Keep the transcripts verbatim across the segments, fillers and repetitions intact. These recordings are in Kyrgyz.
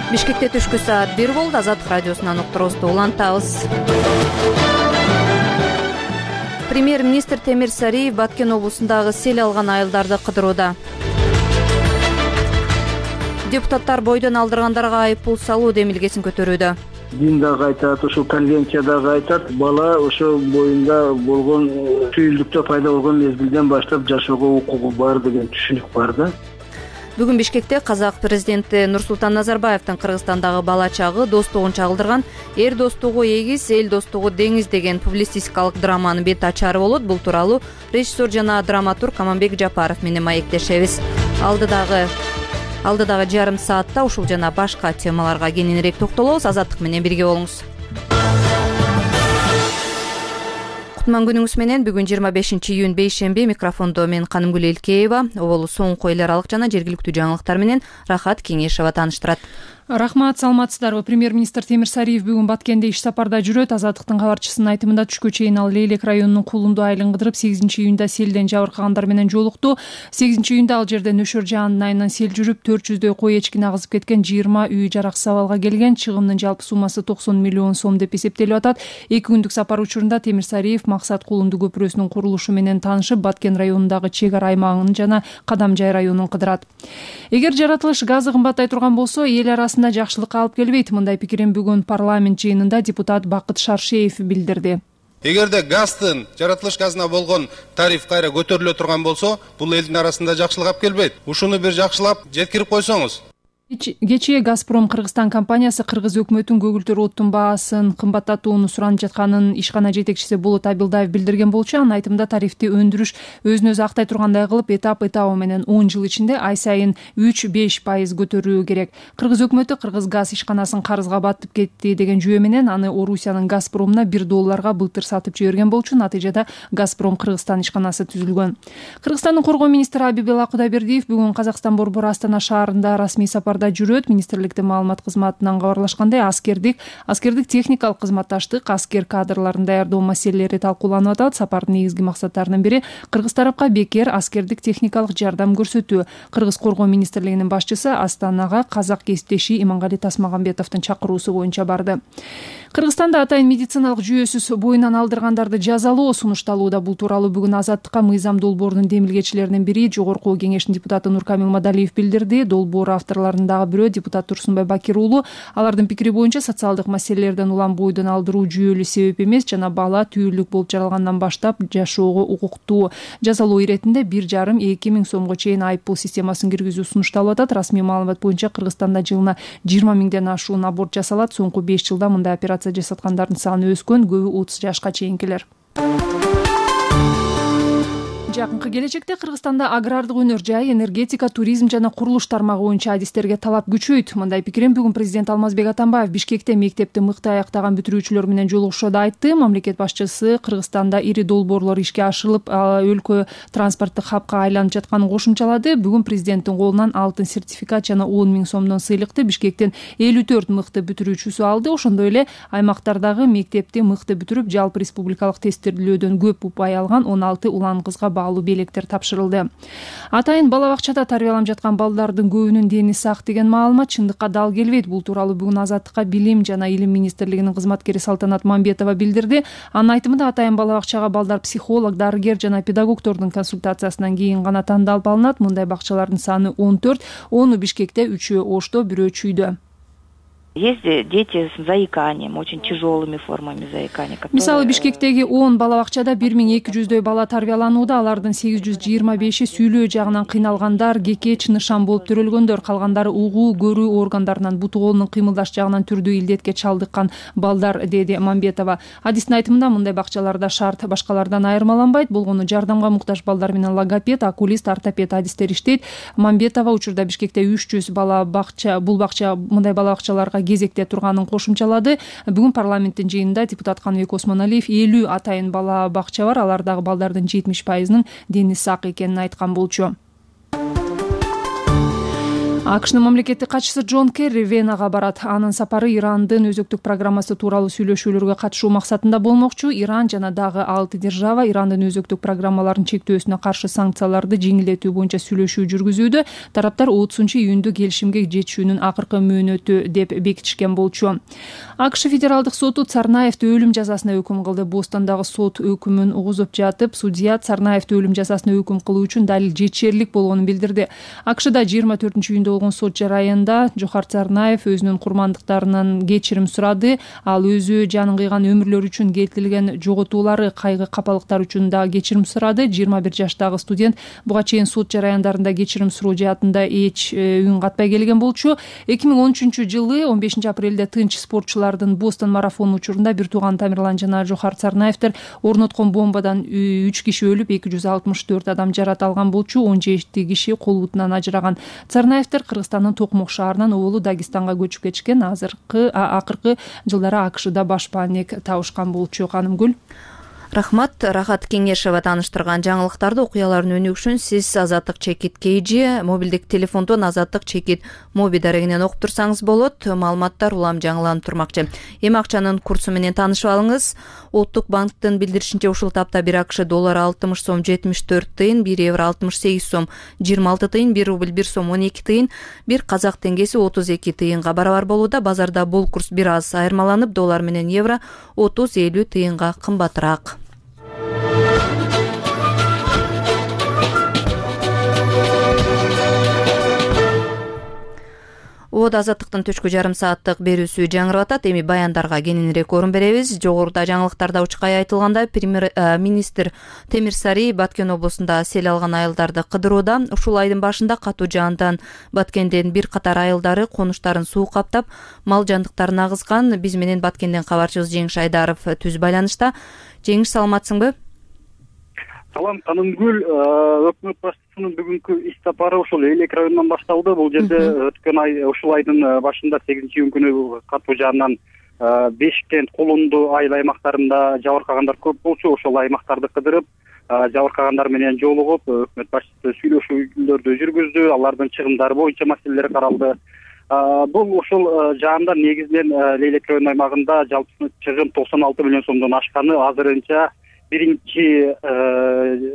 Бишкекте түшкү саат бир болду. Азаттык радиосунан уктуруубузду улантабыз. Премьер-министр Темир Сариев Баткен облусундагы сел алган айылдарды кыдырууда. Депутаттар бойдон алдыргандарга айып пул салуу демилгесин көтөрүүдө. Дин дагы айтат, ошол конвенция дагы айтат, бала ошо боюнда болгон түйүлдүктө пайда болгон мезгилден баштап жашоого укугу бар деген түшүнүк бар да. Бүгүн Бишкекте казак президенти Нурсултан Назарбаевдин Кыргызстандагы бала чагы достугун чагылдырган «Эр достугу эгиз, эл достугу деңиз» деген публицистикалык драманын бет ачары болот. Бул тууралуу режиссер жана драматург Аманбек Жапаров менен маектешебиз. Алдыдагы алдыдагы жарым саатта ушул жана башка темаларга кененирээк токтолобуз. Азаттык менен бирге болуңуз. Кутман күнүңүз менен. Бүгүн жыйырма бешинчи июнь бейшемби. Микрофондо мен Канымгүл Элкеева. Оболу соңку эл аралык жана жергиликтүү жаңылыктар менен Рахат Кеңешева тааныштырат. Рахмат, саламатсыздарбы. Премьер-министр Темир Сариев бүгүн Баткенде иш сапарда жүрөт. Азаттыктын кабарчысынын айтымында түшкө чейин ал Лейлек районунун Кулунду айылын кыдырып, сегизинчи июнда селден жабыркагандар менен жолукту. сегизинчи июнда ал жерде Нөшөр жаанын айынан сел жүрүп, төрт жүздөй кой эчкини агызып кеткен, жыйырма үй жараксыз абалга келген. Чыгымдын жалпы суммасы токсон миллион сом деп эсептелип атат. Эки күндүк сапар учурунда Темир Сариев Максат Кулунду көпүрөсүнүн курулушу менен таанышып, Баткен районундагы чек ара аймагын жана Кадамжай районун кыдырат. Эгер жаратылыш газы кымбаттай турган болсо, эл арасында жакшылыкка алып келбейт. Мындай пикирин бүгүн парламент жыйынында депутат Бакыт Шаршеев билдирди. Эгерде газдын, жаратылыш газына болгон тариф кайра көтөрүлө турган болсо, бул элдин арасында жакшылык алып келбейт. Ушуну бир жакшылап жеткирип койсоңуз. Кечээ Газпром Кыргызстан компаниясы Кыргыз өкмөтүн көгүлтөр оттун баасын кымбаттатууну суранып жатканын ишкана жетекчиси Болот Абилдаев билдирген болчу. Анын айтымында тарифти өндүрүш өзүн өзү актай тургандай кылып, этап этабы менен он жыл ичинде ай сайын үч беш пайыз көтөрүү керек. Кыргыз өкмөтү Кыргыз газ ишканасын карызга батып кетти деген жүйө менен аны Орусиянын Газпромуна бир долларга былтыр сатып жиберген болчу. Натыйжада Газпром Кыргызстан ишканасы түзүлгөн. Кыргызстандын коргоо министри Абибела Кудайбердиев бүгүн Казакстан борбору Астана шаарында расмий сапар жүрөт. Министрликтин маалымат кызматынан кабарлашкандай, аскердик, аскердик техникалык кызматташтык, аскер кадрларын даярдоо маселелери талкууланып атат. Сапардын негизги максаттарынын бири кыргыз тарапка бекер аскердик техникалык жардам көрсөтүү. Кыргыз коргоо министрлигинин башчысы Астанага казак кесиптеши Имангали Тасмагамбетовдун чакыруусу боюнча барды. Кыргызстанда атайын медициналык жүйөсүз боюнан алдыргандарды жазалоо сунушталууда. Бул тууралуу бүгүн Азаттыкка Мыйзам долбоорунун демилгечилеринин бири Жогорку Кеңештин депутаты Нуркамил Мадалиев билдирди. Долбоор авторлорунун дагы бирөө депутат Турсунбай Бакир уулу. Алардын пикири боюнча социалдык маселелерден улам бойдон алдыруу жүйөлүү себеп эмес, жана бала түйүлдүк болуп жаралгандан баштап жашоого укуктуу. Жазалоо иретинде бир жарым эки миң сомго чейин айып пул системасын киргизүү сунушталып атат. Расмий маалымат боюнча Кыргызстанда жылына жыйырма миңден ашуун аборт жасалат. Соңку беш жылда мындай операция жасаткандардын саны өскөн, көбү отуз жашка чейинкилер. Жакынкы келечекте Кыргызстанда агрардык өнөр жай, энергетика, туризм жана курулуш тармагы боюнча адистерге талап күчөйт. Мындай пикирин бүгүн президент Алмазбек Атамбаев Бишкекте мектепти мыкты аяктаган бүтүрүүчүлөр менен жолугушууда айтты. Мамлекет башчысы Кыргызстанда ири долбоорлор ишке ашырылып, өлкө транспорттук хабка айланып жатканын кошумчалады. Бүгүн президенттин колунан алтын сертификат жана он миң сомдон сыйлыкты Бишкектин элүү төрт мыкты бүтүрүүчүсү алды. Ошондой эле аймактардагы мектепти мыкты бүтүрүп, жалпы республикалык тестирүүлөөдөн көп упай алган он алты улан кызга белектер тапшырылды. Атайын бала бакчада тарбияланып жаткан балдардын көбүнүн дени сак деген маалымат чындыкка дал келбейт. Бул тууралуу бүгүн Азаттыкка Билим жана Илим министрлигинин кызматкери Салтанат Мамбетова билдирди. Анын айтымында атайын бала бакчага балдар психолог, дарыгер жана педагогдордун консультациясынан кийин гана тандалып алынат. Мындай бакчалардын саны он төрт, ону Бишкекте, үчөө Ошто, бирөө Чүйдө. Есть дети с заиканием, очень тяжелыми формами заикания. Которые... Мисалы Бишкектеги он бала бакчада бир миң эки жүздөй бала тарбияланууда. Алардын сегиз жүз жыйырма беши сүйлөө жагынан кыйналгандар, кекеч, нышан болуп төрөлгөндөр, калгандары угуу, көрүү органдарынан, буту колунун кыймылдаш жагынан түрдүү илдетке чалдыккан балдар, деди Мамбетова. Адистин айтымында мындай бакчаларда шарт башкалардан айырмаланбайт. Болгону жардамга муктаж балдар менен логопед, окулист, ортопед адистер иштейт. Мамбетова учурда Бишкекте үч жүз бала бакча, бул бакча мындай бала бакчаларга кезекте турганын кошумчалады. Бүгүн парламенттин жыйынында депутат Каныбек Осмоналиев элүү атайын бала бакча бар, алардагы балдардын жетимиш пайызынын дени сак экенин айткан болчу. акшнын мамлекеттик катчысы Джон Керри Венага барат. Анын сапары Ирандын өзөктүк программасы тууралуу сүйлөшүүлөргө катышуу максатында болмокчу. Иран жана дагы алты держава Ирандын өзөктүк программаларын чектөөсүнө каршы санкцияларды жеңилдетүү боюнча сүйлөшүү жүргүзүүдө. Тараптар отузунчу июндө келишимге жетишүүнүн акыркы мөөнөтү деп бекитишкен болчу. АКШ федералдык соту Царнаевди өлүм жазасына өкүм кылды. Бостандагы сот өкүмүн угузуп жатып, судья Царнаевди өлүм жазасына өкүм кылуу үчүн далил жетишерлик болгонун билдирди. АКШда жыйырма төртүнчү июндө болгон сот жарайында Жохар Царнаев өзүнүн курмандыктарынан кечирим сурады. Ал өзү жанын кыйган өмүрлөр үчүн келтирилген жоготуулары, кайгы капалыктар үчүн да кечирим сурады. жыйырма бир жаштагы студент буга чейин сот жараяндарында кечирим суроо жаатында эч үн катпай келген болчу. эки миң он үчүнчү жылы он бешинчи апрелде тынч спортчулардын Бостон марафону учурунда бир тууган Тамирлан жана Жохар Царнаевдер орноткон бомбадан үч киши өлүп, эки жүз алтымыш төрт адам жарат алган болчу. он жети киши кол бутунан ажыраган. Царнаевдер Кыргызстандын Токмок шаарынан Оолу Дагестанга көчүп кетишкен. Азыркы акыркы жылдары АКШда баш паник табышкан болчу. Канымгүл. Рахмат. Рахат Кеңешева тааныштырган жаңылыктарды, окуялардын өнүгүшүн сиз Азаттык чекит Кейжи мобилдик телефондон Азаттык чекит моби дарегинен окуп турсаңыз болот. Маалыматтар улам жаңыланып турмакчы. Эми акчанын курсу менен таанышып алыңыз. Улуттук банктын билдиришинче ушул тапта бир АКШ доллары алтымыш сом жетимиш төрт тыйын, бир евро алтымыш сегиз сом жыйырма алты тыйын, бир рубль бир сом он эки тыйын, бир казак теңгеси отуз эки тыйынга барабар болууда. Базарда бул курс бир аз айырмаланып, доллар менен евро отуз элүү тыйынга кымбатыраак. Од Азаттыктын түшкү жарым сааттык берүүсү жаңырып атат. Эми баяндарга кененирээк орун беребиз. Жогоруда жаңылыктарда учкай айтылгандай, премьер-министр Темир Сарий Баткен облусунда сел алган айылдарды кыдырууда. Ушул айдын башында катуу жаандан Баткенден бир катар айылдары конуштарын суу каптап, мал жандыктарын агызган. Биз менен Баткенден кабарчыбыз Жеңиш Айдаров түз байланышта. Жеңиш, саламатсыңбы? Салам, Канымгүл. Өкмөт башчысынын бүгүнкү иш сапары ушул Элек районунан башталды. Бул жерде өткөн ай ушул айдын башында сегизинчи июнь күнү катуу жаандан Бешкент, Кулунду айыл аймактарында жабыркагандар көп болчу. Ошол аймактарды кыдырып, жабыркагандар менен жолугуп, өкмөт башчысы сүйлөшүүлөрдү жүргүздү. Алардын чыгымдары боюнча маселелер каралды. Бул ушул жаанда негизинен Элек районунун аймагында жалпы чыгым токсон алты миллион сомдон ашканы азырынча биринчи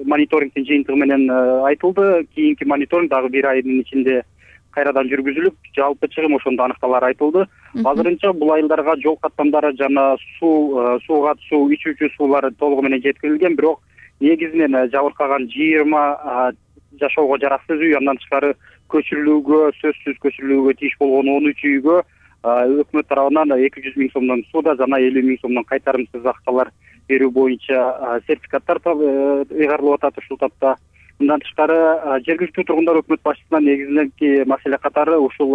мониторингдин жыйынтыгы менен айтылды. Кийинки мониторинг дагы бир айдын ичинде кайрадан жүргүзүлүп, жалпы чыгым ошондо аныкталары айтылды. Азырынча бул айылдарга жол каттамдары жана суу, сууга суу, ичүүчү суулар толугу менен жеткирилген, бирок негизинен жабыркаган жыйырма жашоого жараксыз үй, андан тышкары көчүрүлүүгө, сөзсүз көчүрүлүүгө тийиш болгон он үч үйгө өкмөт тарабынан эки жүз миң сомдон сууda жана элүү миң сомдон кайтарымсыз акчалар берүү боюнча сертификаттар ыйгарылып атат ушул тапта. Мындан тышкары жергиликтүү тургундар өкмөт башчысынан негизинен маселе катары ушул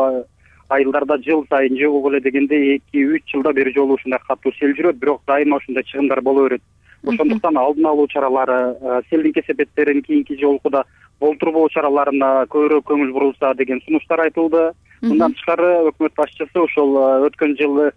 айылдарда жыл сайын же болбол эле дегенде эки үч жылда бир жолу ушундай катуу сел жүрөт, бирок дайыма ушундай чыгымдар боло берет. Ошондуктан алдын алуу чаралары, селдин кесепеттерин кийинки жолкуда болтурбоо чараларына көбүрөөк көңүл бурулса деген сунуштар айтылды. Мындан тышкары өкмөт башчысы ошол өткөн жылы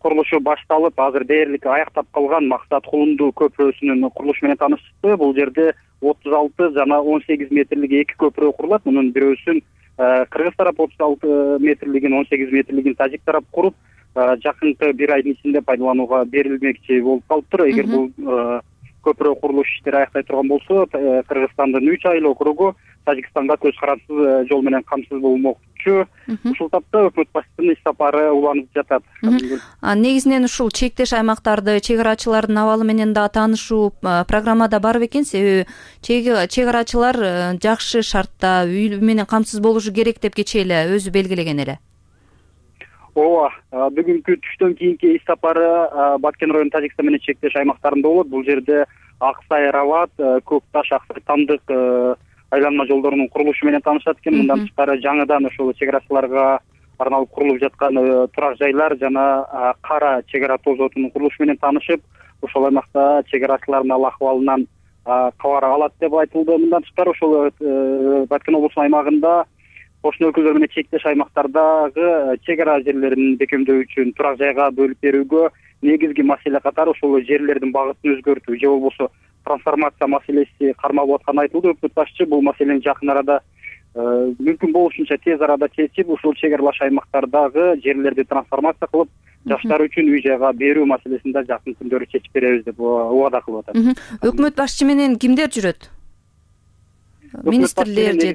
курулушу башталып, азыр дээрлик аяктап калган Максат Кулунду көпүрөсүнүн курулушу менен таанышты. Бул жерде отуз алты жана он сегиз метрлик эки көпүрө курулат. Мунун бирөөсүн кыргыз тарап отуз алты метрлигин, он сегиз метрлигин тажик тарап куруп, жакынкы бир айдын ичинде пайдаланууга берилмекчи болуп калыптыр. Эгер бул көпүрө курулуш иштери аяктай турган болсо, Кыргызстандын үч айыл округу Тажикстанга көз карансыз жол менен камсыз болмокчу. Ушул тапта өкмөт башчысынын иш сапары уланып жатат. Негизинен ушул чектеш аймактарды чек арачылардын абалы менен да таанышуу программада бар бекен. Себеби чек арачылар жакшы шартта үй менен камсыз болушу керек деп кечээ эле өзү белгилеген эле. Ооба, бүгүнкү түштөн кийинки иш сапары Баткен районунун Тажикстан менен чектеш аймактарында болот. Бул жерде Аксай, Рават, Көк Таш, Аксай, Тандык айланма жолдорунун курулушу менен таанышат экен. Мындан тышкары жаңыдан ошол чек арачыларга арналып курулуп жаткан турак жайлар жана Кара чек ара тозотунун курулушу менен таанышып, ошол аймакта чек арачылардын ал акыбалынан кабар алат деп айтылды. Мындан тышкары ошол Баткен облусунун аймагында кошуна өлкөлөр менен чектеш аймактардагы чек ара жерлерин бекемдөө үчүн турак жайга бөлүп берүүгө негизги маселе катары ошол жерлердин багытын өзгөртүү же болбосо трансформация маселеси кармалып атканы айтылды. Өкмөт башчы бул маселени жакын арада мүмкүн болушунча тез арада чечип ушул чек аралаш аймактардагы жерлерди трансформация кылып жаштар үчүн үй жайга берүү маселесин да жакын күндөрү чечип беребиз деп убада кылып атат. Өкмөт башчы менен кимдер жүрөт? Министрлер же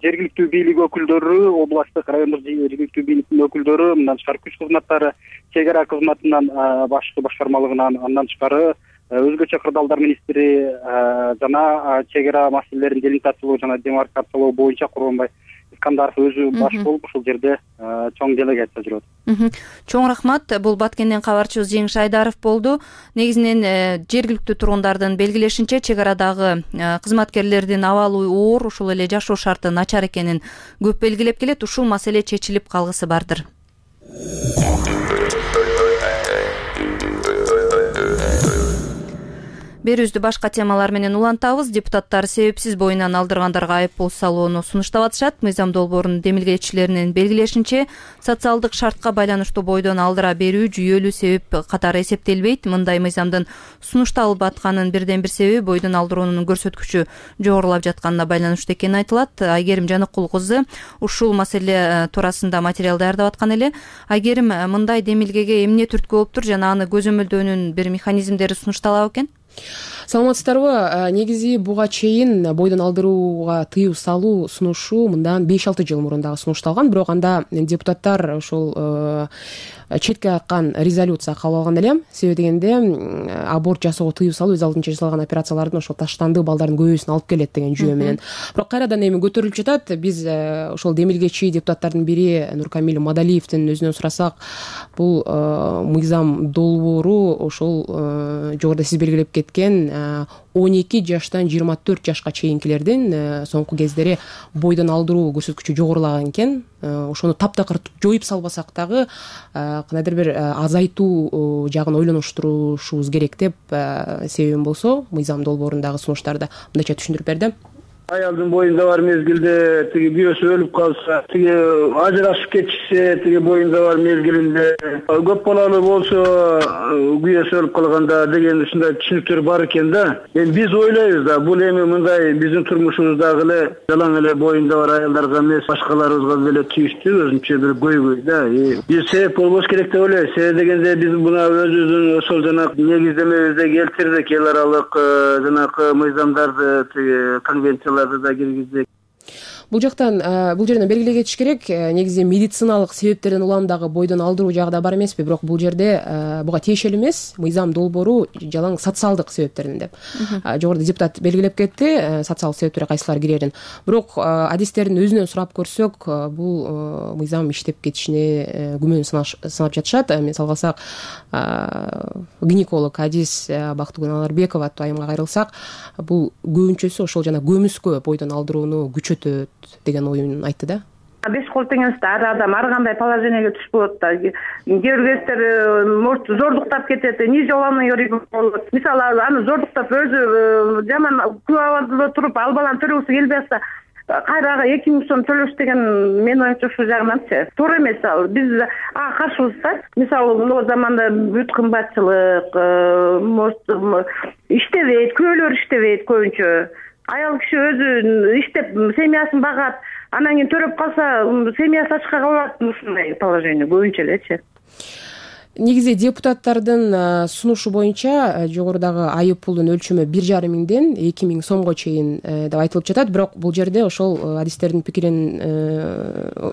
жергиликтүү бийлик өкүлдөрү, областтык, райондук жергиликтүү бийликтин өкүлдөрү, мындан тышкары күч кызматтары, чек ара кызматынан башкы башкармалыгынан, андан тышкары өзгөчө кырдаалдар министри жана чек ара маселелерин делимитациялоо жана демаркациялоо боюнча Курманбай Искандаров өзү баш болуп ушул жерде чоң делегация жүрөт. Чоң рахмат. Бул Баткенден кабарчыбыз Жеңиш Айдаров болду. Негизинен жергиликтүү тургундардын белгилешинче чек арадагы кызматкерлердин абалы оор, ушул эле жашоо шарты начар экенин көп белгилеп келет. Ушул маселе чечилип калгысы бардыр. Берүүбүздү башка темалар менен улантабыз. Депутаттар себепсиз боюнан алдыргандарга айыппул салууну сунуштап атышат. Мыйзам долбоорунун демилгечилеринин белгилешинче, социалдык шартка байланыштуу бойдон алдыра берүү жүйөлүү себеп катары эсептелбейт. Мындай мыйзамдын сунушталып атканын бирден бир себеби бойдон алдыруунун көрсөткүчү жогорулап жатканына байланыштуу экени айтылат. Айгерим Жаныкул кызы ушул маселе туурасында материал даярдап аткан эле. Айгерим, мындай демилгеге эмне түрткү болуптур жана аны көзөмөлдөөнүн бир механизмдери сунушталабы экен? Саламатсыздарбы? Негизи буга чейин бойдон алдырууга тыюу салуу сунушу мындан беш алты жыл мурун дагы сунушталган, бирок анда депутаттар ошол четке каккан резолюция кабыл алган эле. Себеби дегенде аборт жасоого тыюу салуу өз алдынча жасалган операциялардын ошол таштандык балдардын көбөйүүсүн алып келет деген жүйө менен. Бирок кайрадан эми көтөрүлүп жатат. Биз ошол демилгечи депутаттардын бири Нуркамил Мадалиевдин өзүнөн сурасак, бул мыйзам долбоору ошол жогоруда сиз белгилеп кеткен он эки жаштан жыйырма төрт жашка чейинкилердин соңку кездери бойдон алдыруу көрсөткүчү жогорулаган экен. Ошону таптакыр жоюп салбасак дагы кандайдыр бир азайтуу жагын ойлонуштурушубуз керек деп себебим болсо, мыйзам долбоорундагы сунуштарда мындайча түшүндүрүп берди. Аялдын боюнда бар мезгилде тиги күйөөсү өлүп калса, тиги ажырашып кетишсе, тиги боюнда бар мезгилинде көп балалуу болсо, күйөөсү өлүп калганда деген ушундай түшүнүктөр бар экен да. Эми биз ойлойбуз да, бул эми мындай биздин турмушубуздагы эле жалаң эле боюнда бар аялдарга эмес, башкаларыбызга деле тийиштүү өзүнчө бир көйгөй да. Биз себеп болбош керек деп ойлойбуз. Себеби дегенде биз мына өзүбүздүн ошол жана негиздемебизде келтирдик эл аралык жанагы мыйзамдарды, тиги конвенцияларды да киргиздик. Бул жактан бул жерден белгилей кетиш керек, негизи медициналык себептерден улам дагы бойдон алдыруу жагы бар эмеспи, бирок бул жерде буга тиешелүү эмес, мыйзам долбоору жалаң социалдык себептерден деп. Жогоруда депутат белгилеп кетти, социалдык себептер кайсылар кирерин. Бирок адистердин өзүнөн сурап көрсөк, бул мыйзам иштеп кетишине күмөн санап жатышат. Мисалга алсак, гинеколог адис Бактыгүл Аларбекова айымга кайрылсак, бул көбүнчөсү ошол жана көмүскө бойдон алдырууну күчөтөт деген оюн айтты да. Беш кол теңизде ар адам ар кандай положенияга түшүп болот да. Кээ бир кездер может зордуктап кетет, нежеланный ребенок болот. Мисалы аны зордуктап өзү жаман күбө абалда туруп ал баланы төрөгүсү келбей атса, кайрага эки миң сом төлөш деген мен оюмча ушул жагынанчы туура эмес. Биз ага каршыбыз да. Мисалы могу заманда бүт кымбатчылык, может иштебейт, күйөөлөр иштебейт көбүнчө. Аял киши өзү иштеп семьясын багат, анан кийин төрөп калса, семьясы ачка калат, ушундай положение көбүнчө элечи. Негизи депутаттардын сунушу боюнча жогорудагы айып пулдун өлчөмү бир жарым миңден эки миң сомго чейин деп айтылып жатат. Бирок бул жерде ошол адистердин пикирин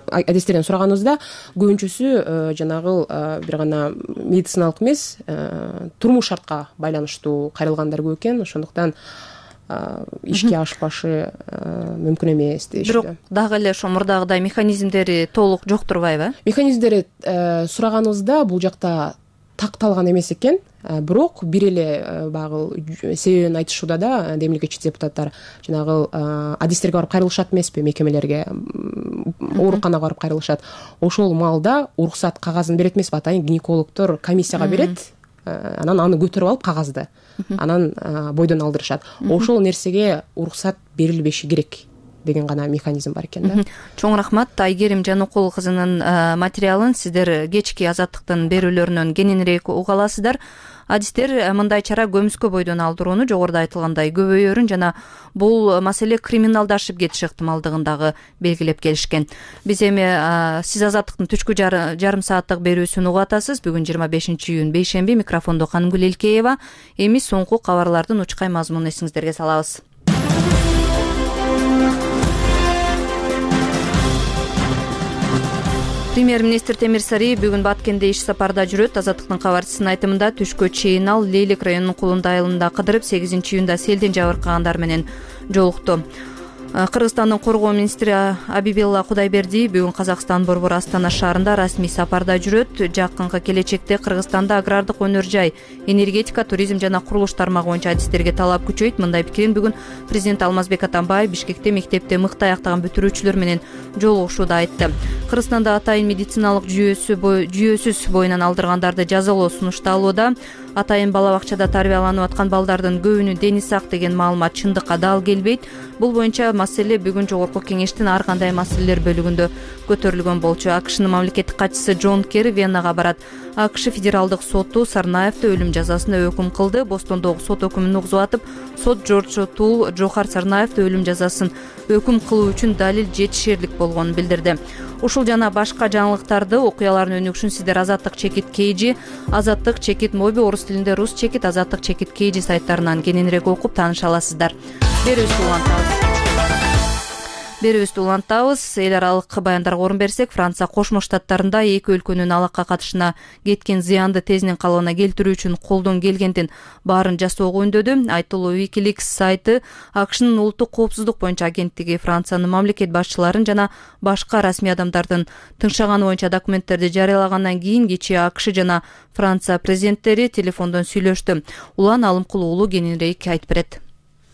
адистерден сураганыбызда көбүнчөсү жанагы бир гана медициналык эмес, турмуш шартка байланыштуу кайрылгандар көп экен. Ошондуктан ишке ашпашы мүмкүн эмес дешти. Бирок дагы эле ошо мурдагыдай механизмдери толук жок турбайбы? Механизмдери сураганыбызда бул жакта такталган эмес экен. Бирок бир эле багы себебин айтышууда да, демилгечи депутаттар жанагы адистерге барып кайрылышат эмеспи, мекемелерге, ооруканага барып кайрылышат. Ошол маалда уруксат кагазын берет эмеспи, атайын гинекологдор комиссияга берет. Анан аны көтөрүп алып кагазды, анан бойдон алдырышат. Ошол нерсеге уруксат берилбеши керек деген гана механизм бар экен да. Чоң рахмат. Айгерим Жанукул кызынын материалын сиздер кечки Азаттыктын берүүлөрүнөн кененирээк уга аласыздар. Адистер мындай чара көмүскө бойдон алдырууну жогоруда айтылгандай көбөйөрүн жана бул маселе криминалдашып кетиш ыктымалдыгын дагы белгилеп келишкен. Биз эми сиз Азаттыктын түшкү жарым сааттык берүүсүн угуп атасыз. Бүгүн жыйырма бешинчи июнь бейшемби. Микрофондо Канымгүл Элкеева. Эми соңку кабарлардын учкай мазмунун эсиңиздерге салабыз. Премьер-министр Темир Сарыев бүгүн Баткенде иш сапарда жүрөт. Азаттыктын кабарчысынын айтымында түшкө чейин ал Лейлик районунун Кулундай айылында кыдырып, сегизинчи июнда селден жабыркагандар менен жолукту. Кыргызстандын коргоо министри Абибелла Кудайбердиев бүгүн Казакстан борбор Астана шаарында расмий сапарда жүрөт. Жакынкы келечекте Кыргызстанда агрардык өнөр жай, энергетика, туризм жана курулуш тармагы боюнча адистерге талап күчөйт. Мындай пикирин бүгүн президент Алмазбек Атамбаев Бишкекте мектепте мыкты аяктаган бүтүрүүчүлөр менен жолугушууда айтты. Кыргызстанда атайын медициналык жүйөсү жүйөсүз боюнан алдыргандарды жазалоо сунушталууда. Атайын бала бакчада тарбияланып аткан балдардын көбүнүн дени сак деген маалымат чындыкка дал келбейт. Бул боюнча маселе бүгүн жогорку кеңештин ар кандай маселелер бөлүгүндө көтөрүлгөн болчу. АКШнын мамлекеттик катчысы Джон Керри Веннага барат. АКШ федералдык соту Сарнаевди өлүм жазасына өкүм кылды. Бостондогу сот өкүмүн угузуп атып, сот Джордж Тул Жохар Сарнаевди өлүм жазасын өкүм кылуу үчүн далил жетишерлик болгонун билдирди. Ушул жана башка жаңылыктарды, окуялардын өнүгүшүн сиздер Азаттык чекит Кейжи, Азаттык чекит Моби, орус тилинде Рус чекит, Азаттык чекит Кейжи сайттарынан кененирээк окуп тааныша аласыздар. Берүүбүздү улантабыз. Берүүбүздү улантабыз. Эл аралык баяндарга орун берсек, Франция Кошмо Штаттарында эки өлкөнүн алакка катышына кеткен зыянды тезинен калыбына келтирүү үчүн колдон келгендин баарын жасоого үндөдү. Айтылуу Wikileaks сайты АКШнын улуттук коопсуздук боюнча агенттиги Франциянын мамлекет башчыларын жана башка расмий адамдардын тыңшаганы боюнча документтерди жарыялагандан кийин кечээ АКШ жана Франция президенттери телефондон сүйлөштү. Улан Алымкул уулу кененирээк айтып берет.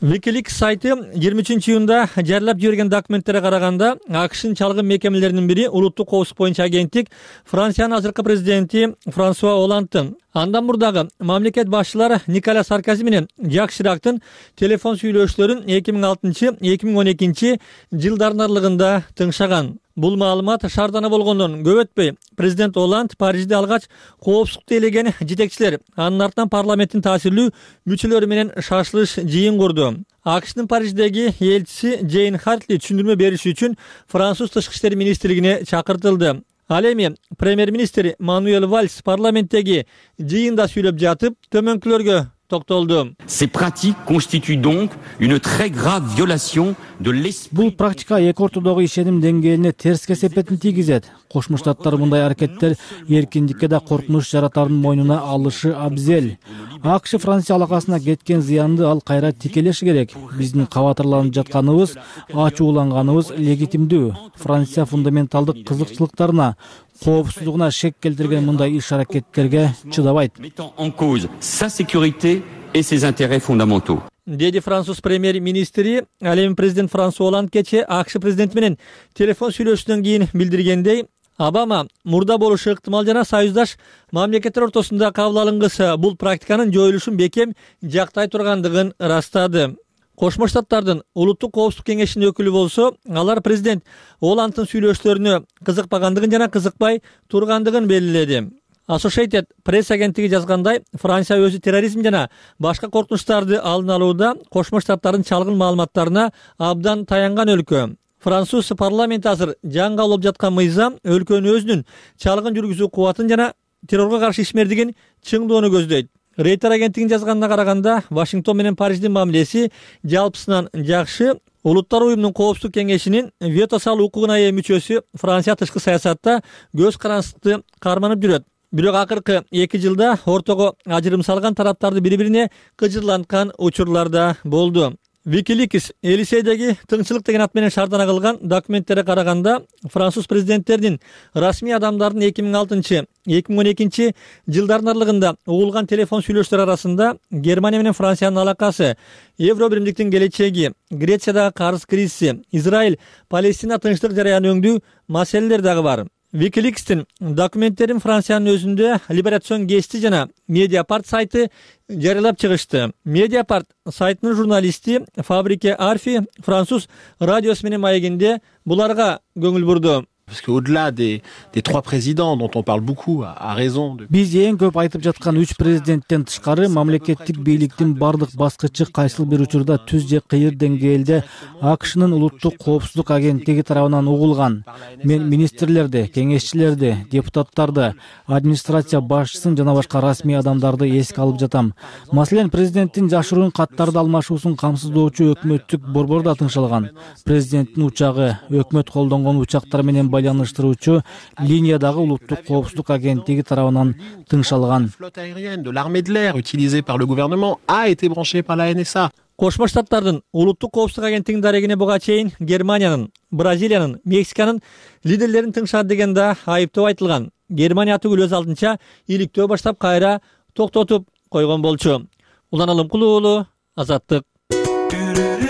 Wikileaks сайты жыйырма үчүнчү июнда жарыялап жиберген документтерге караганда, АКШнын чалгын мекемелеринин бири улуттук коопсуздук боюнча агенттик Франциянын азыркы президенти Франсуа Олландтын андан мурдагы мамлекет башчылары Николя Саркози менен Жак Ширактын телефон сүйлөшүүлөрүн эки миң алтынчы — эки миң он экинчи жылдардын аралыгында тыңшаган. Бул маалымат шаардана болгондон көп өтпөй президент Олланд Парижде алгач коопсуздукту элеген жетекчилер, анын артынан парламенттин таасирлүү мүчөлөрү менен шашылыш жыйын курду. АКШнын Париждеги элчиси Джейн Хартли түшүндүрмө бериш үчүн Француз тышкы иштер министрлигине чакыртылды. Ал эми премьер-министр Мануэль Вальс парламенттеги жыйында сүйлөп жатып, төмөнкүлөргө токтолду. Ces pratiques constituent donc une très grave violation de l'esprit. Бул практика эки ортодогу ишеним деңгээлине терс кесепетин тийгизет. Кошмо Штаттар мындай аракеттер эркиндикке да коркунуч жаратардын мойнуна алышы абзел. АКШ Франция алакасына кеткен зыянды ал кайра тикелеши керек. Биздин кабатырланып жатканыбыз, ачууланганыбыз легитимдүү. Франция фундаменталдык кызыкчылыктарына, коопсуздугуна шек келтирген мындай иш аракеттерге чыдабайт. Mettant en cause sa sécurité et ses intérêts fondamentaux. Деди француз премьер-министри, ал эми президент Франсуа Олланд кечээ АКШ президенти менен телефон сүйлөшүүдөн кийин билдиргендей, Обама мурда болушу ыктымал жана союздаш мамлекеттер ортосунда кабыл алынгысы бул практиканын жоюлушун бекем жактай тургандыгын ырастады. Кошмо Штаттардын улуттук коопсуздук кеңешинин өкүлү болсо, алар президент Олландтын сүйлөшүүлөрүнө кызыкпагандыгын жана кызыкпай тургандыгын белгиледи. Associated Press агенттиги жазгандай, Франция өзү терроризм жана башка коркунучтарды алдын алууда Кошмо Штаттардын чалгын маалыматтарына абдан таянган өлкө. Француз парламенти азыр жаңга алып жаткан мыйзам өлкөнүн өзүнүн чалгын жүргүзүү кубатын жана террорго каршы ишмердигин чыңдоону көздөйт. Рейтер агенттигинин жазганына караганда, Вашингтон менен Париждин мамилеси жалпысынан жакшы. Улуттар уюмунун коопсуздук кеңешинин вето салуу укугуна ээ мүчөсү Франция тышкы саясатта көз карандысты карманып жүрөт. Бирок акыркы эки жылда ортого ажырым салган тараптарды бири-бирине кыжырланткан учурлар да болду. Wikileaks Элисейдеги тыңчылык деген ат менен шаардана кылган документтерге караганда, француз президенттеринин расмий адамдардын эки миң алтынчы — эки миң он экинчи жылдардын аралыгында угулган телефон сүйлөшүүлөр арасында Германия менен Франциянын алакасы, Евро биримдиктин келечеги, Грециядагы карыз кризиси, Израиль Палестина тынчтык жараянын өңдүү маселелер дагы бар. Wikileaks'tin dokumentтерин Франциянын өзүндө Liberation Гести жана Mediapart сайты жарыялап чыгышты. Mediapart сайтынын журналисти Фабрике Арфи француз радиосу менен маегинде буларга көңүл бурду. Parce qu'au-delà des, des trois présidents dont on parle beaucoup, à, à raison de... Биз эң көп айтып жаткан үч президенттен тышкары мамлекеттик бийликтин бардык баскычы кайсыл бир учурда түз же кыйыр деңгээлде АКШнын улуттук коопсуздук агенттиги тарабынан угулган. Мен министрлерди, кеңешчилерди, депутаттарды, администрация башчысын жана башка расмий адамдарды эске алып жатам. Маселен, президенттин жашыруун каттарды алмашуусун камсыздоочу өкмөттүк борбор да тыңшалган. Президенттин учагы, өкмөт колдонгон учактар менен байланыштыруучу линиядагы улуттук коопсуздук агенттиги тарабынан тыңшалган. Flotte aérienne de l'armée de l'air utilisée par le gouvernement a été branchée par la Н С А. Кошмо Штаттардын улуттук коопсуздук агенттигинин дарегине буга чейин Германиянын, Бразилиянын, Мексиканын лидерлерин тыңшат деген да айыптоо айтылган. Германия түгүл өз алдынча иликтөө баштап кайра токтотуп койгон болчу. Улан Алымкул уулу, Азаттык.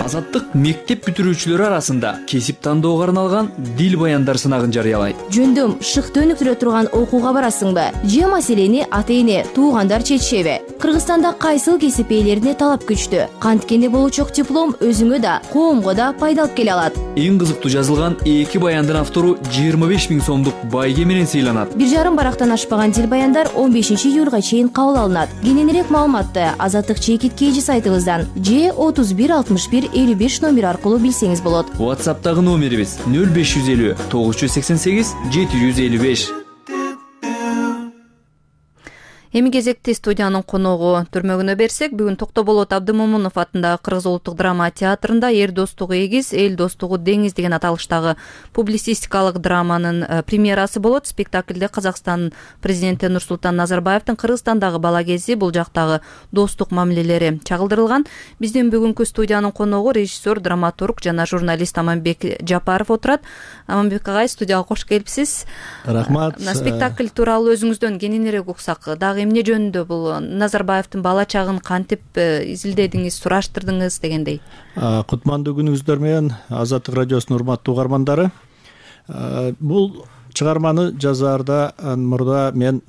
Азаттык мектеп бүтүрүүчүлөрү арасында кесип тандоого арналган дил баяндар сынагын жарыялайт. Жөндөм шыкты өнүктүрө турган окууга барасыңбы? Же маселени ата-эне, туугандар чечишеби? Кыргызстанда кайсыл кесип ээлерине талап күчтүү? Канткени болучок диплом өзүңө да, коомго да пайда алып келе алат. Эң кызыктуу жазылган эки баяндын автору жыйырма беш миң сомдук байге менен сыйланат. Бир жарым барактан ашпаган дил баяндар он бешинчи июлга чейин кабыл алынат. Кененирээк маалыматты Азаттык чекит кейжи сайтыбыздан же отуз бир алтымыш бир элүү беш номер аркылуу билсеңиз болот. WhatsApp'тагы номерибиз нөл беш жүз элүү тогуз жүз сексен сегиз жети жүз элүү беш. Эми кезекти студиянын коногу түрмөгүнө берсек, бүгүн Токтоболот Абдымомунов атындагы Кыргыз улуттук драма театрында эр достугу эгиз, эл достугу деңиз деген аталыштагы публицистикалык драманын премьерасы болот. Спектаклде Казакстан президенти Нурсултан Назарбаевдин Кыргызстандагы бала кези, бул жактагы достук мамилелери чагылдырылган. Биздин бүгүнкү студиянын коногу режиссер, драматург жана журналист Аманбек Жапаров отурат. Аманбек агай, студияга кош келипсиз. Рахмат. Спектакль тууралуу өзүңүздөн кененирээк уксак, дагы эмне жөнүндө бул Назарбаевдин бала чагын кантип изилдедиңиз, сураштырдыңыз дегендей. Кутмандуу күнүңүздөр менен Азаттык радиосунун урматтуу угармандары. Бул чыгарманы жазаарда мурда мен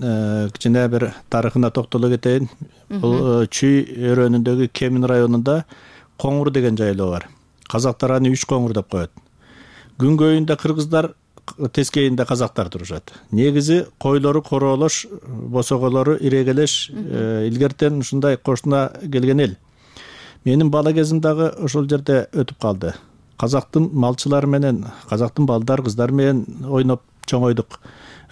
кичине бир тарыхына токтоло кетейин. Бул Чүй өрөөнүндөгү Кемин районунда Коңур деген жайлоо бар. Казактар аны үч коңур деп коет. Күнгөйүндө кыргыздар, тескейинде казактар турушат. Негизи койлору короолош, босоголору ирегелеш, илгертен ушундай кошуна келген эл. Менин бала кезим дагы ошол жерде өтүп калды. Казактын малчылары менен, казактын балдар, кыздар менен ойноп чоңойдук.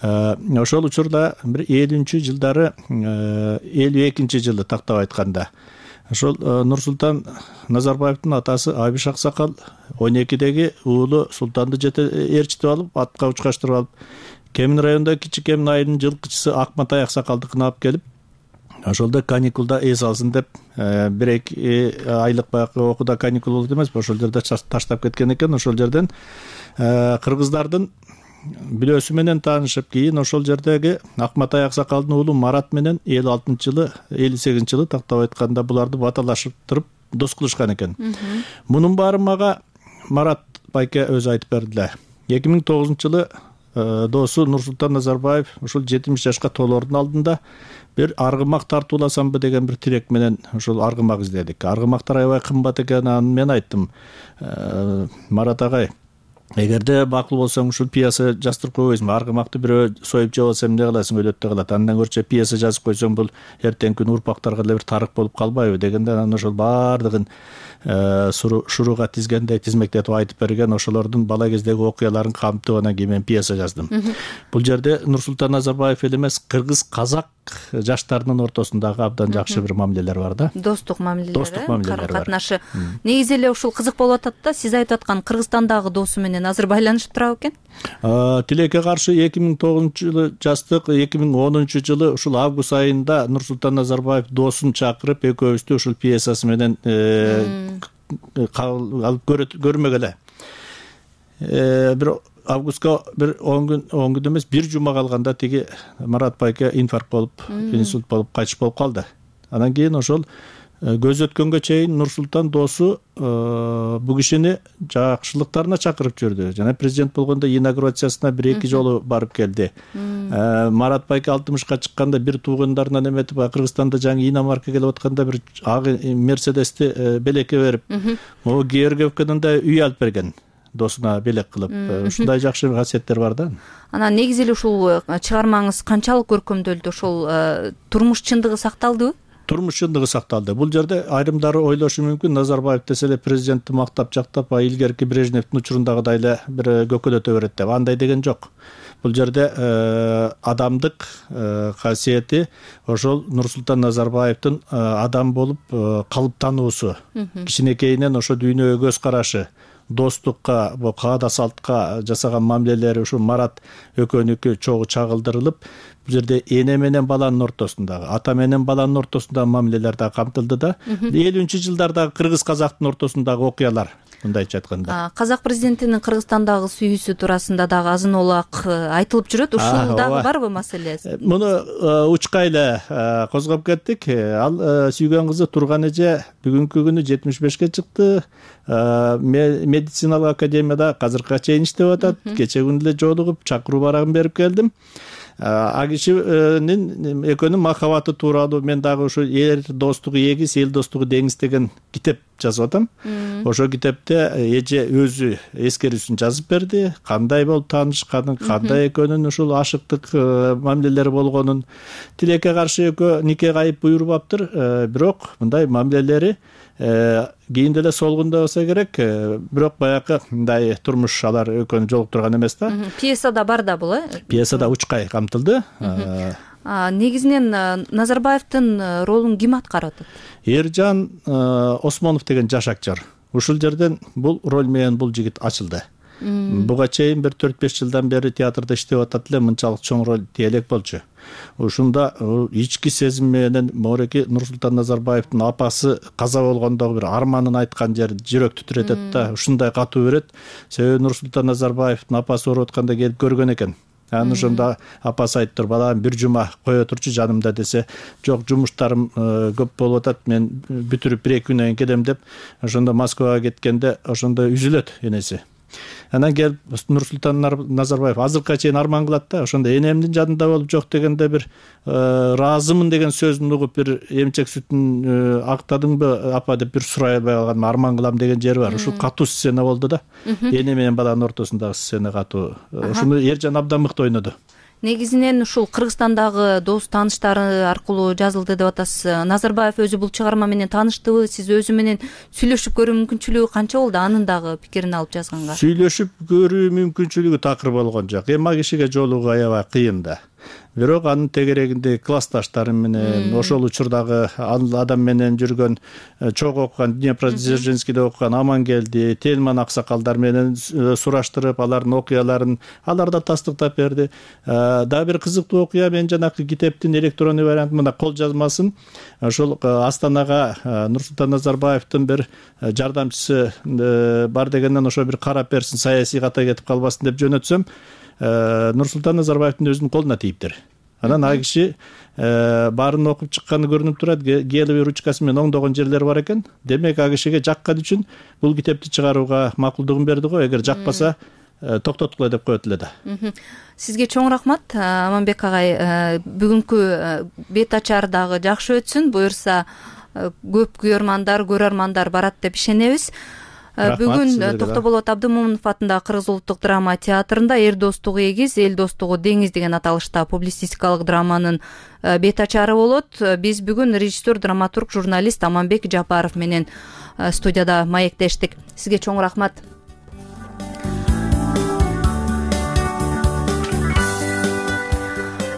Ошол учурда бир элүүнчү жылдары, элүү экинчи жылы тактап айтканда, ошол Нурсултан Назарбаевдин атасы Абиш Аксакал он экидеги уулу Султанды ээрчитип алып, атка учкаштырып алып, Кемин районунда Кичи Кемин айылынын жылкычысы Акматай Аксакалдыкына алып келип, ошолдо каникулда эс алсын деп, бир эки айлык баягы окууда каникул болот эмес, ошол жерде таштап кеткен экен. Ошол жерден кыргыздардын билөөсү менен таанышып, кийин ошол жердеги Акматай Аксакалдын уулу Марат менен элүү алтынчы жылы, элүү сегизинчи жылы тактап айтканда буларды баталашып дос кылышкан экен. Мунун баары мага Марат байке өзү айтып бердиле. эки миң тогузунчу жылы досу Нурсултан Назарбаев ушул жетимиш жашка толоордун алдында бир аргымак тартууласамбы деген бир тилек менен ошол аргымак издедик. Аргымактар аябай кымбат экен, аны мен айттым. Марат агай, эгерде макул болсоң ушул пьеса жаздырып койбойсуңбу? Аргымакты бирөө союп жеп алса эмне кыласың, өлөт да калат. Андан көрчө пьеса жазып койсоң бул эртеңки күнү урпактарга эле бир тарых болуп калбайбы дегенде, анан ошол баардыгын шурууга тизгендей тизмектетип айтып берген, ошолордун бала кездеги окуяларын камтып анан кийин мен пьеса жаздым. Бул жерде Нурсултан Назарбаев эле эмес, кыргыз казак жаштарынын ортосундагы абдан жакшы бир мамилелер бар да. Достук мамилелер, достук мамилелер бар. Катнашы. Негизи эле ушул кызык болуп атат да, сиз айтып аткан Кыргызстандагы досу менен азыр байланышып турабы экен? Тилекке каршы эки миң тогузунчу жылы жаздык, эки миң онунчу жылы ушул август айында Нурсултан Назарбаев досун чакырып, экөөбүздү ушул пьесасы менен алып көрмөк эле. Бир августка бир он күн, он күн эмес, бир жума калганда тиги Марат байке инфаркт болуп, инсульт болуп, кайтыш болуп калды. Анан кийин ошол көз өткөнгө чейин Нурсултан доосу бул кишини жакшылыктарына чакырып жүрдү. Жана президент болгондо инаугурациясына бир эки жолу барып келди. Марат байке алтымышка чыкканда бир туугандарынан эметип, Кыргызстанда жаңы иномарка келип атканда бир ак Мерседести белекке берип, могу Георгиевкадан да үй алып берген. Досуна белек кылып, ушундай жакшы касиеттер бар да. Анан негизи эле ушул чыгармаңыз канчалык көркөмдөлдү? Ошол турмуш чындыгы сакталдыбы? Турмуш чындыгы сакталды. Бул жерде айрымдары ойлошу мүмкүн, Назарбаев десе эле президентти мактап жактап, а илгерки Брежневдин учурундагыдай эле бир көкөлөтө берет деп. Андай деген жок. Бул жерде адамдык касиети ошол Нурсултан Назарбаевдин адам болуп калыптануусу, кичинекейинен ошо дүйнөгө көз карашы, достукка, бул каада салтка жасаган мамилелери ушу Марат экөөнүкү чогуу чагылдырылып, бул жерде эне менен баланын ортосундагы, ата менен баланын ортосундагы мамилелер да камтылды да. элүүнчү жылдардагы кыргыз казактын ортосундагы окуялар, мындайча айтканда. Казак президентинин Кыргызстандагы сүйүүсү туурасында дагы азын олак айтылып жүрөт. Ушул дагы барбы маселе? Муну учкай эле козгоп кеттик. Ал сүйгөн кызы Турган эже бүгүнкү күнү жетимиш бешке чыкты. Медициналык академияда азыркыга чейин иштеп атат. Кече күнү эле жолугуп, чакыруу барагын берип келдим. А кишинин экөөнүн махабаты тууралуу мен дагы ушу эл достугу эгиз, эл достугу деңиз деген китеп жазып атам. Ошол китепте эже өзү эскерүүсүн жазып берди. Кандай болуп таанышканын, кандай экөөнүн ушул ашыктык мамилелери болгонун. Тилекке каршы экөө нике кайып буйрубаптыр, бирок мындай мамилелери кийин деле солгунда болсо керек, бирок баягы мындай турмуш алар экөөнү жолуктурган эмес да. Пьесада бар да бул, э? Пьесада учкай камтылды. Негизинен Назарбаевдин ролун ким аткарып атат? Эржан Осмонов деген жаш актер. Ушул жерден бул роль менен бул жигит ачылды. Буга чейин бир төрт беш жылдан бери театрда иштеп атат эле, мынчалык чоң роль тиелек болчу. Ушунда ички сезим менен мореки Нурсултан Назарбаевдин апасы каза болгондогу бир арманын айткан жери жүрөк титиретет да, ушундай катуу берет. Себеби Нурсултан Назарбаевдин апасы ооруп атканда келип көргөн экен. Анан ошондо апасы айтыптыр, балам бир жума кое турчу жанымда десе, жок, жумуштарым көп болуп атат, мен бүтүрүп бир эки күнөн кийин келем деп, ошондо Москвага кеткенде ошондо үзүлөт энеси. Анан келип Нурсултан Назарбаев азыркыга чейин арман кылат да, ошондо энемдин жанында болуп жок дегенде бир ыраазымын деген сөзүн угуп, бир эмчек сүтүн актадыңбы апа деп бир сурай албай калган, арман кылам деген жери бар. Ушул катуу сцена болду да. Эне менен баланын ортосундагы сцена катуу. Ушуну Эржан абдан мыкты ойноду. Негизинен ушул Кыргызстандагы дос тааныштары аркылуу жазылды деп атасыз. Назарбаев өзү бул чыгарма менен тааныштыбы? Сиз өзү менен сүйлөшүп көрүү мүмкүнчүлүгү канча болду? Анын дагы пикирин алып жазганга. Сүйлөшүп көрүү мүмкүнчүлүгү такыр болгон жок. Эми ага кишиге жолугуу аябай кыйын да. Бирок анын тегерегинде классташтары менен, ошол учурдагы адам менен жүргөн, чогуу окуган, Днепродзержинскийде окуган Амангелди, Тельман аксакалдар менен сураштырып, алардын окуяларын алар да тастыктап берди. Дагы бир кызыктуу окуя, мен жанакы китептин электрондук вариантын мына кол жазмасын ошол Астанага Нурсултан Назарбаевдин бир жардамчысы бар дегенден ошо бир карап берсин, саясий ката кетип калбасын деп жөнөтсөм, Нурсултан Назарбаевдин өзүнүн колуна тийиптир. Анан ал киши баарын окуп чыкканы көрүнүп турат, гелевый ручкасы менен оңдогон жерлери бар экен. Демек ал кишиге жаккан үчүн бул китепти чыгарууга макулдугун берди го. Эгер жакпаса токтоткула деп коет эле да. Сизге чоң рахмат, Аманбек агай. Бүгүнкү бет ачар дагы жакшы өтсүн. Буюрса көп көрөрмандар, көрөрмандар барат деп ишенебиз. Бүгүн Токтоболот Абдымомунов атындагы Кыргыз улуттук драма театрында эр достугу эгиз, эл достугу деңиз деген аталышта публицистикалык драманын бет ачары болот. Биз бүгүн режиссер, драматург, журналист Аманбек Жапаров менен студияда маектештик. Сизге чоң рахмат.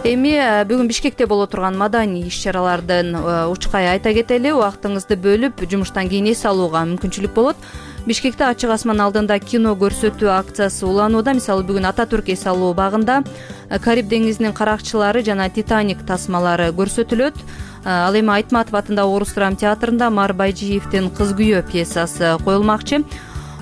Эми бүгүн Бишкекте боло турган маданий иш-чаралардын учкай айта кетели. Убактыңызды бөлүп, жумуштан кийин эс алууга мүмкүнчүлүк болот. Бишкекте ачык асман алдында кино көрсөтүү акциясы уланууда. Мисалы бүгүн Ата Түрк эс алуу багында Кариб деңизинин каракчылары жана Титаник тасмалары көрсөтүлөт. Ал эми Айтматов атындагы Орус драма театрында Мар Байжиевдин Кыз күйөө пьесасы коюлмакчы.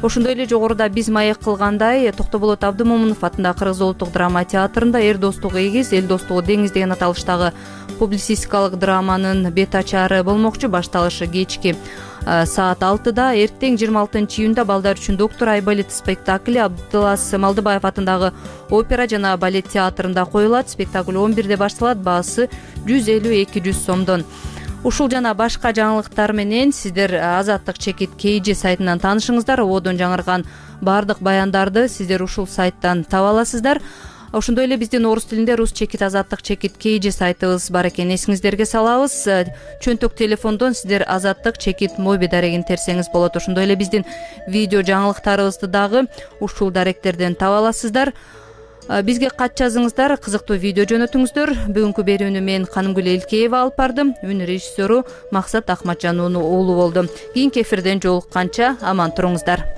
ошондой эле жогоруда биз маек кылгандай Токтоболот Абдымомунов атындагы Кыргыз улуттук драма театрында эр достугу эгиз, эл достугу деңиз деген аталыштагы публицистикалык драманын бет ачары болмокчу. Башталышы кечки саат алтыда. Эртең жыйырма алтынчы июнда балдар үчүн Доктор Айбалет спектакли Абдылас Малдыбаев атындагы опера жана балет театрында коюлат. Спектакль он бирде башталат. Баасы жүз элүү эки жүз сомдон. Ушул жана башка жаңылыктар менен сиздер Азаттык чекит kg сайтынан таанышыңыздар. Ободон жаңырган баардык баяндарды сиздер ушул сайттан таба аласыздар. Ошондой эле биздин орус тилинде Рус чекит Азаттык чекит kg сайтыбыз бар экен, эсиңиздерге салабыз. Чөнтөк телефондон сиздер Азаттык чекит моби дарегин терсеңиз болот. Ошондой эле биздин видео жаңылыктарыбызды дагы ушул даректерден таба аласыздар. Бизге кат жазыңыздар, кызыктуу видео жөнөтүңүздөр. Бүгүнкү берүүнү мен Канымгүл Элкеева алып бардым. Үн режиссеру Максат Акматжан уулу болду. Кийинки эфирден жолукканча аман туруңуздар.